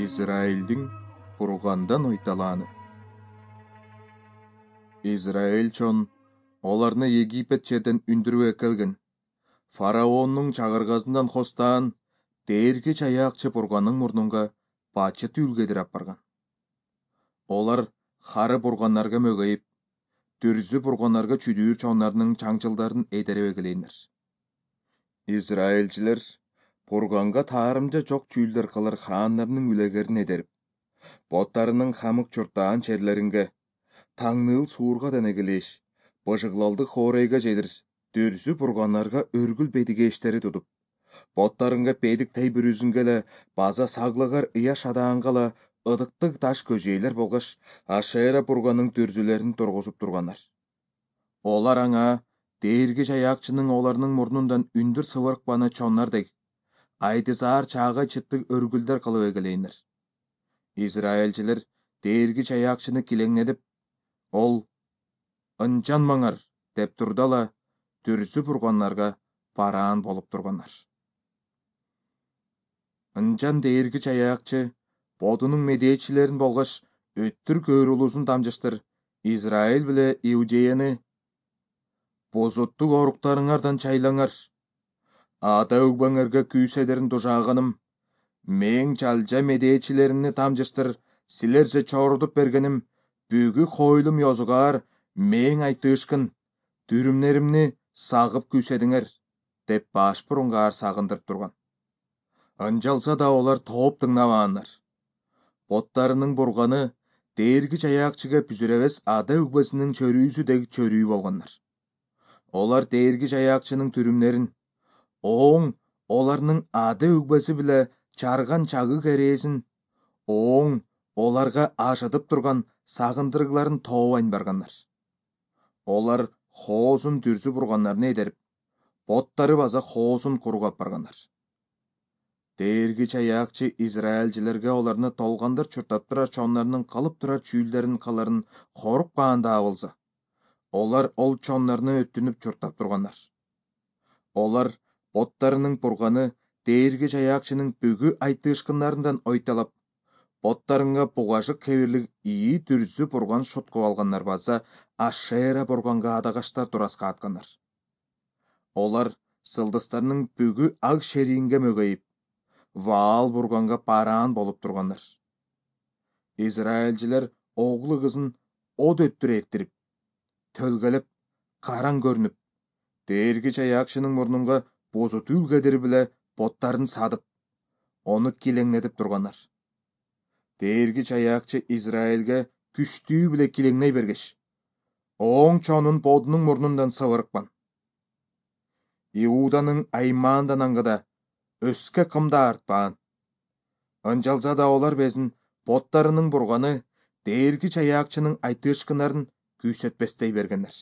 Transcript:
Израилдин бургандан ойталааны. Израиль чон оларны Египет жерден үндүрүп экелген. Фараондун чагыргасынан хостаан дээрги чаякчы бурганын мурнунга бачыт үлгедир апарган. Олар хары бурганнарга мөгөйүп, дүрзү бурганнарга чүдүүр чоннарынын чаңчылдарын эдерип эгелейнер. Израильчилер бурганга таарымжа жок чүүлдер кылар хааннарынын үлегерин эдерип, боттарынын хамык чуртаан черлеринге, таңныл суурга денегелеш, быжыглалды хорейге жедир, дүрзү бурганнарга өргүл бедигештери тутуп, боттарынга педик тейбүрүзүнгеле база саглыгар ыя шадаангала ыдыктык таш көжейлер болгош Ашера бурганын дүрзүлөрүн тургузуп тургандар. Олар аңа дээрги чаякчынын оларынын мурнундан үндүр сыбыркпаны чоннардек, айдызаар чаагай чыттык өргүлдөр кылып эгелейнер. Израильчилер дээрги чаякчыны килеңедип, ол ынжанмаңар деп турдала дүрзү бурганнарга бараан болуп тургандар. Ынжан дээрги чаякчы бодунун медээчилерин болгош өттүр көөр улуусун дамжыштыр Израиль биле Иудеяны бозоттук оруктарыңардан чайлаңар. Ата өгбөңөргө күүседерин дужааганым, мээң чалжа медээчилерини тамжыштыр силерже чорудуп бергеним, бүгү хойлум йозугаар мээң айтышкын, дүрүмнеримни сагып күүседиңер, деп баш бурунгаар сагындырып турган. Ынжалса да олар тооп тыңнабаандар. Боттарынын бурганы дээрги чаякчыга бүзүребес ада өгбөсүнүн чөрүүсү деги чөрүү болгондар. Олар дээрги чаякчынын түрүмнерин, оң оларнын ада өгбөсү биле чарган чагы керээсин, оң оларга ажытып турган сагындырыгларын тообайн баргандар. Олар хоозун дүрзү бурганнарына эдерип, боттары база хоозун кургап баргандар. Дээрги чаякчы Израильчилерге оларны толгандыр чуртап турар чоннарынын калып турар чүүлдерин каларын корукпаанда болса, олар ол чоннарны өттүнүп чуртап тургандар. Олар боттарынын бурганы дээрги чаякчынын бүгү айтышкындарынан ойталап, боттарынга бугажык кебирлик ии дүрзү бурган шуткуп алгандар база Ашера бурганга адагашта тураска аткандар. Олар сылдыстарынын бүгү ак шерийинге мөгөйүп, Ваал бурганга бараан болуп тургандар. Израильчилер оглу кызын от өттүр эктирип, төлгөлөп, караң көрүнүп, дээрги чаякчынын мурнунга бозот үлгедири биле боттарын садып, ону килеңедип тургандар. Дээрги чаякчы Израилге күчтүү биле килеңней бергеш, оң чонун бодунун мурнундан сыбырыкпан. Иуданын аймаандан аңгыда өскө кымда артпаан. Ынжалса да олар безин боттарынын бурганы дээрги чаякчынын айтышкындарын күүсөтпестей бергендер.